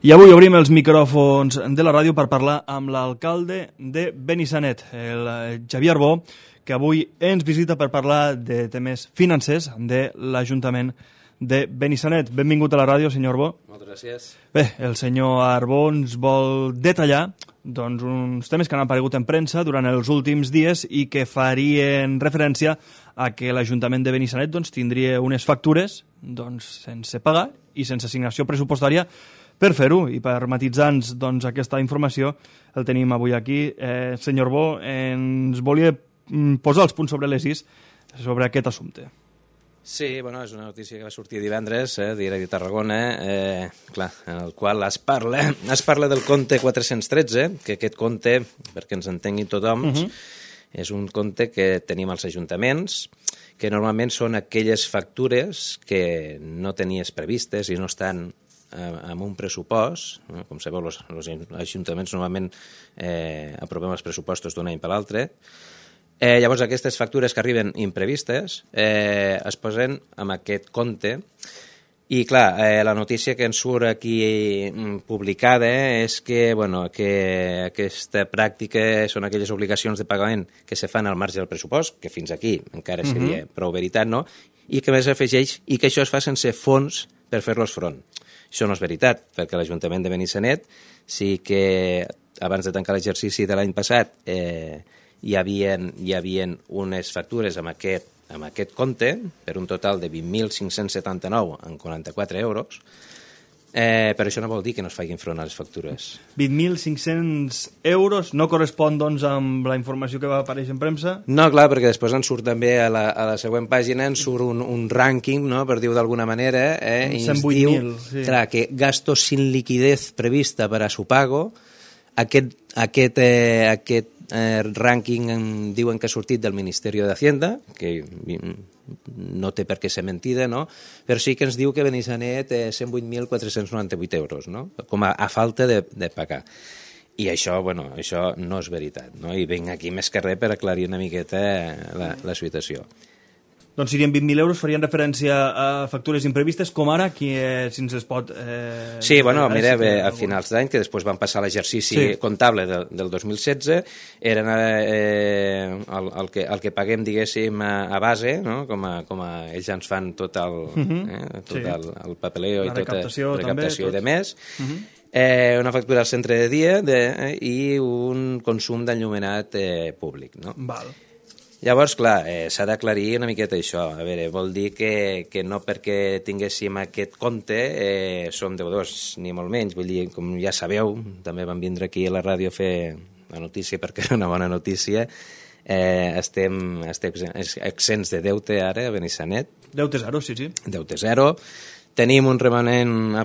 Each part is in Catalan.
I avui obrim els micròfons de la ràdio per parlar amb l'alcalde de Benissanet, el Xavier Arbó, que avui ens visita per parlar de temes financers de l'Ajuntament de Benissanet. Benvingut a la ràdio, senyor Arbó. Moltes gràcies. Bé, el senyor Arbó ens vol detallar uns temes que han aparegut en premsa durant els últims dies i que farien referència a que l'Ajuntament de Benissanet tindria unes factures sense pagar i sense assignació pressupostària per fer-ho, i per matisar-nos aquesta informació el tenim avui aquí. Senyor Bo, ens volia posar els punts sobre les is sobre aquest assumpte. Sí, bueno, és una notícia que va sortir divendres, Diari de Tarragona, clar, en el qual es parla del compte 413, que aquest compte, perquè ens entengui tothom, és un compte que tenim als ajuntaments, que normalment són aquelles factures que no tenies previstes i no estan amb un pressupost. Com sabeu, els ajuntaments normalment aprovem els pressupostos d'un any per l'altre. Llavors, aquestes factures que arriben imprevistes es posen en aquest compte. I, clar, la notícia que ens surt aquí publicada és que aquesta pràctica són aquelles obligacions de pagament que se fan al marge del pressupost, que fins aquí encara seria prou veritat, no? I que més afegeix i que això es fa sense fons per fer-los front. Això no és veritat, perquè l'Ajuntament de Benissanet sí que abans de tancar l'exercici de l'any passat hi havia unes factures amb aquest compte per un total de 20.579,44 euros, però això no vol dir que no es facin front a les factures. 20.500 euros no correspon, amb la informació que va aparèixer en premsa? No, clar, perquè després ens surt també a la següent pàgina, ens surt un rànquing, no?, per dir-ho d'alguna manera, i ens diu clar, que gastos sin liquidez prevista para su pago. Aquest rànquing diuen que ha sortit del Ministeri d'Hacienda, que no té per què ser mentida, no? Però sí que ens diu que Benissanet 108.498 euros, no?, com a falta de pagar. I això, això no és veritat, no? I vinc aquí més que res per aclarir una miqueta la situació. Doncs serien 20.000 euros, farien referència a factures imprevistes, com ara, si ens les pot... Sí, mira, a finals d'any, que després van passar l'exercici comptable del 2016, eren el que paguem, diguéssim, a base, no?, com a ells ja ens fan tot el papeleo i tota la recaptació i demés, una factura al centre de dia i un consum d'enllumenat públic, no? Val. Llavors, clar, s'ha d'aclarir una miqueta això. A veure, vol dir que no perquè tinguéssim aquest compte som deudors, ni molt menys. Vull dir, com ja sabeu, també vam vindre aquí a la ràdio a fer la notícia perquè era una bona notícia. Estem exents de deute ara a Benissanet. Deute zero, sí. Deute zero. Tenim un remanent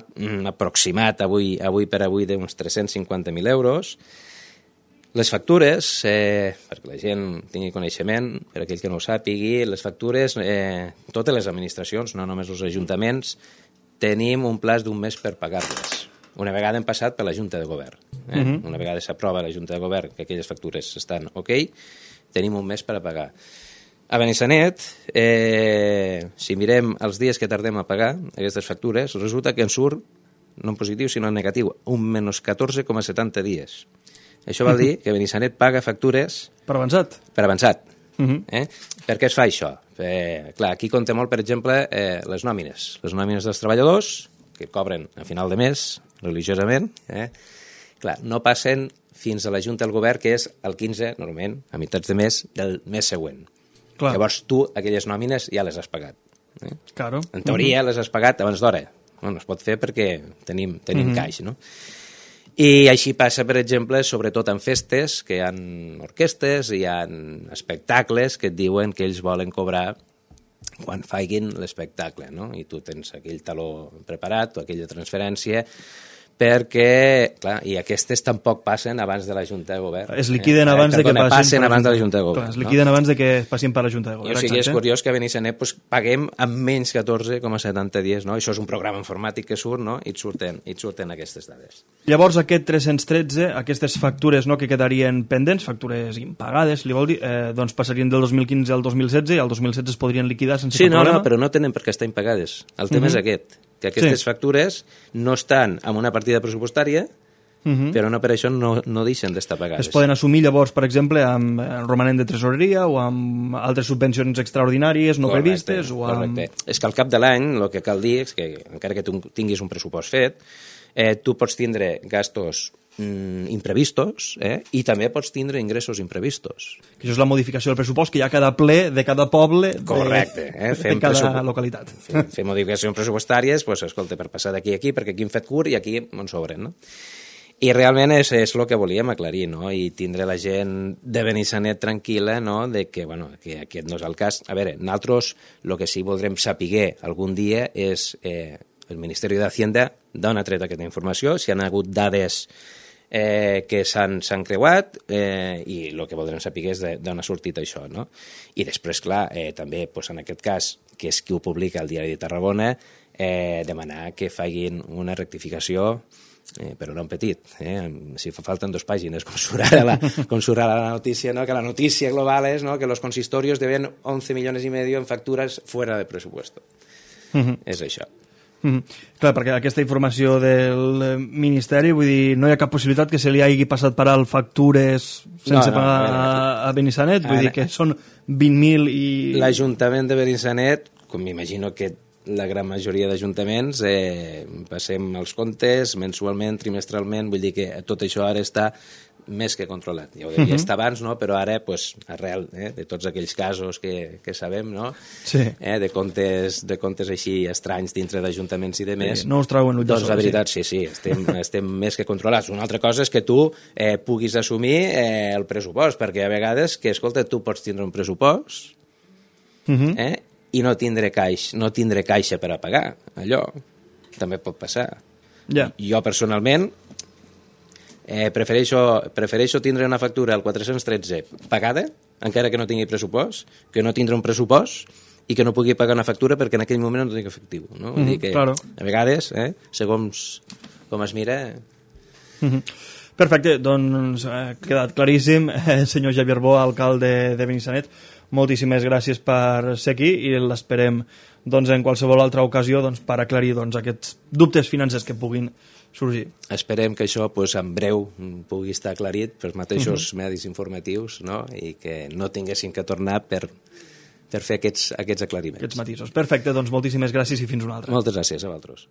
aproximat avui per avui d'uns 350.000 euros. Les factures, perquè la gent tingui coneixement, per aquell que no ho sàpigui, les factures, totes les administracions, no només els ajuntaments, tenim un plaç d'un mes per pagar-les. Una vegada hem passat per la Junta de Govern. Una vegada s'aprova a la Junta de Govern que aquelles factures estan ok, tenim un mes per a pagar. A Benissanet, si mirem els dies que tardem a pagar aquestes factures, resulta que en surt, no en positiu sinó en negatiu, un menys 14,70 dies. Això vol dir que Benissanet paga factures... Per avançat. Per avançat. Per què es fa això? Clar, aquí compta molt, per exemple, les nòmines. Les nòmines dels treballadors, que cobren a final de mes, religiosament, clar, no passen fins a la Junta del Govern, que és el 15, normalment, a meitats de mes, del mes següent. Clar. Llavors tu, aquelles nòmines, ja les has pagat. Claro. En teoria les has pagat abans d'hora. Bueno, es pot fer perquè tenim caix, no? I així passa, per exemple, sobretot en festes, que hi ha orquestes, hi ha espectacles que et diuen que ells volen cobrar quan facin l'espectacle, no? I tu tens aquell taló preparat o aquella transferència, perquè, clar, i aquestes tampoc passen abans de la Junta de Govern. Es liquiden abans de que passen abans de la Junta de Govern. Es liquiden abans de que passin per la Junta de Govern. O sigui, és curiós que a Benissanet paguem amb menys 14,70 dies, no? Això és un programa informàtic que surt, no? I et surten aquestes dades. Llavors, aquest 313, aquestes factures que quedarien pendents, factures impagades, li vol dir, doncs passarien del 2015 al 2016 i al 2016 es podrien liquidar sense cap problema? No, però no tenen per què estar impagades. El tema és aquest. que aquestes factures no estan en una partida pressupostària, però no per això no deixen d'estar pagades. Es poden assumir llavors, per exemple, amb romanent de tresoreria o amb altres subvencions extraordinàries no previstes. Correcte. És que al cap de l'any el que cal dir és que, encara que tu tinguis un pressupost fet, tu pots tindre gastos imprevistos i també pots tindre ingressos imprevistos. Que això és la modificació del pressupost que hi ha cada ple de cada poble de cada localitat. Fem modificacions pressupostàries, doncs, escolta, per passar d'aquí a aquí, perquè aquí hem fet curt i aquí ens sobren, no? I realment és el que volíem aclarir, no? I tindre la gent de Benissanet tranquil·la, no? De que, bueno, que aquest no és el cas. A veure, nosaltres el que sí voldrem saber algun dia és el Ministeri d'Hacienda d'on ha tret aquesta informació, si han hagut dades que s'han creuat i el que voldrem saber és d'on ha sortit això, no? I després, clar, també en aquest cas, que és qui ho publica al Diari de Tarragona, demanar que facin una rectificació, però no en petit, si fa falten 2 pàgines, com surt ara la notícia, no? Que la notícia global és, no? Que los consistorios deben 11 millones y medio en facturas fuera de presupuesto. És això. Clar, perquè aquesta informació del Ministeri, vull dir, no hi ha cap possibilitat que se li hagi passat per alt factures sense pagar a Benissanet, vull dir que són 20.000 i... L'Ajuntament de Benissanet, com m'imagino que la gran majoria d'ajuntaments, passem els comptes mensualment, trimestralment, vull dir que tot això ara està més que controlat. Ja ho devia estar abans, no? Però ara, arrel de tots aquells casos que sabem, no? Sí. De comptes així estranys dintre d'ajuntaments i de més, no us trauen l'ull de sol. Doncs la veritat, sí, estem més que controlats. Una altra cosa és que tu puguis assumir el pressupost, perquè a vegades, que escolta, tu pots tindre un pressupost, i no tindre caixa per a pagar allò. També pot passar. Jo, personalment, prefereixo tindre una factura al 413 pagada, encara que no tingui pressupost, que no tindre un pressupost i que no pugui pagar una factura perquè en aquell moment no tinc efectiu. No? Vull dir que, a vegades, segons com es mira... Perfecte, doncs ha quedat claríssim. Senyor Xavier Bo, alcalde de Benissanet, moltíssimes gràcies per ser aquí i l'esperem en qualsevol altra ocasió per aclarir aquests dubtes financers que puguin sorgir. Esperem que això en breu pugui estar aclarit pels mateixos medis informatius, no? I que no tinguessin que tornar per fer aquests aclariments. Aquests matisos. Perfecte, doncs moltíssimes gràcies i fins una altra. Moltes gràcies a vosaltres.